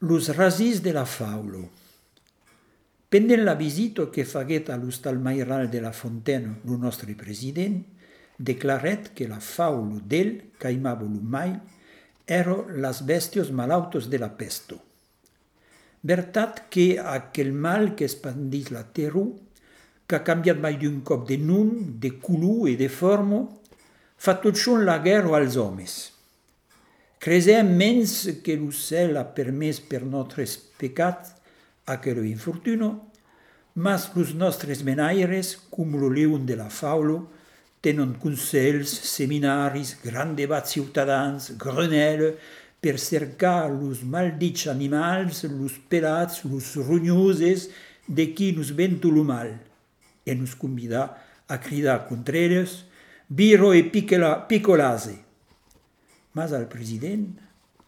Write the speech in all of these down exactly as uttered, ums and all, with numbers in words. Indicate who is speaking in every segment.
Speaker 1: Los rasis de la faulo. Pendent la visita che faguet a l'Hostal Mairal de la Fontaine lo nostre president, declaret que la faulo d'el, caimava lo mail, ero las bestios malautos de la pesto. Vertat que aquel mal que espandís la terra, qu'ha cambiat mai d'un cop de nom, de color e de forma, fa tot schon la guerra als homes. Cresem mens que lo cel ha permès per nostres pecats aquello infortuno, mas los nostres menaires, cum lo leun de la faulo, tenen consells, seminaris, gran debats ciutadans, grenelle, per cercar los maldits animals, los pelats, los rognoses, de qui nos vento lo mal, e nos convida a cridar contra ells, biro e picolase. Mas al president,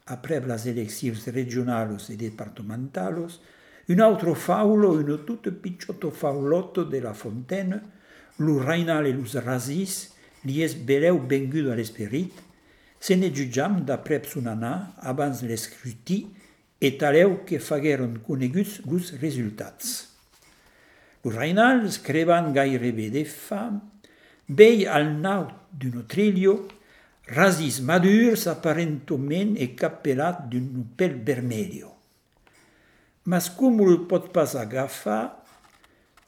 Speaker 1: après las eleccions regionals e departamentals, un altro faulo, un tutto picciotto faulotto de la Fontaine, lo Rainal e los rasis, li es beleu vengudo all'esperit, se ne giugiam d'après un anà abans l'escruti e taleu que fagueren coneguts los resultats. Lo Rainal, scrivant gairebé de fam, vei al naut d'un trillo, rasis madurs apparentoment e capellat d'un pèl vermelho. Mas com lo pot pas agafar,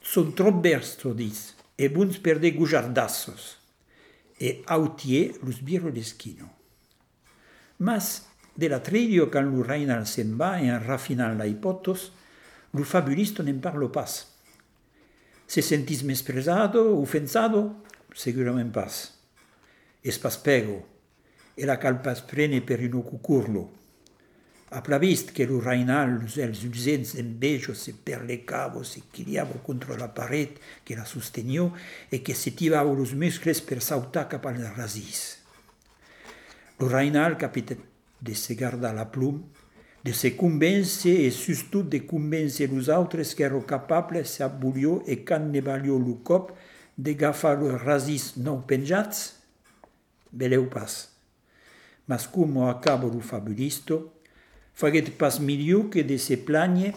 Speaker 1: son trop verstodis e buns per de gujardassos, e autier los biro d'eschino. Mas de la trillo can lo Rainal se'n va en raffinant la hipotos, lo fabulisto n'en parlo pas. Se sentis mespresado, offensado? Segurament pas. Es pas pego, e la cal pas prene per ino cucurlo. Ha plavist che lo Rainal los els usents envejos e per le cavo se chiliavo contro la paret che la sostenió e che se tivavo los muscles per sautar cap al rasis. Lo Rainal capite de se guardar la plum, de se convèncer e sustot de convèncer los autres que ero capable se abulió e can ne valió lo cop de gafar los rasis non penjats? Beleu pas. Mas como acabo lo fabulisto, faguet pas milieu que de se plagne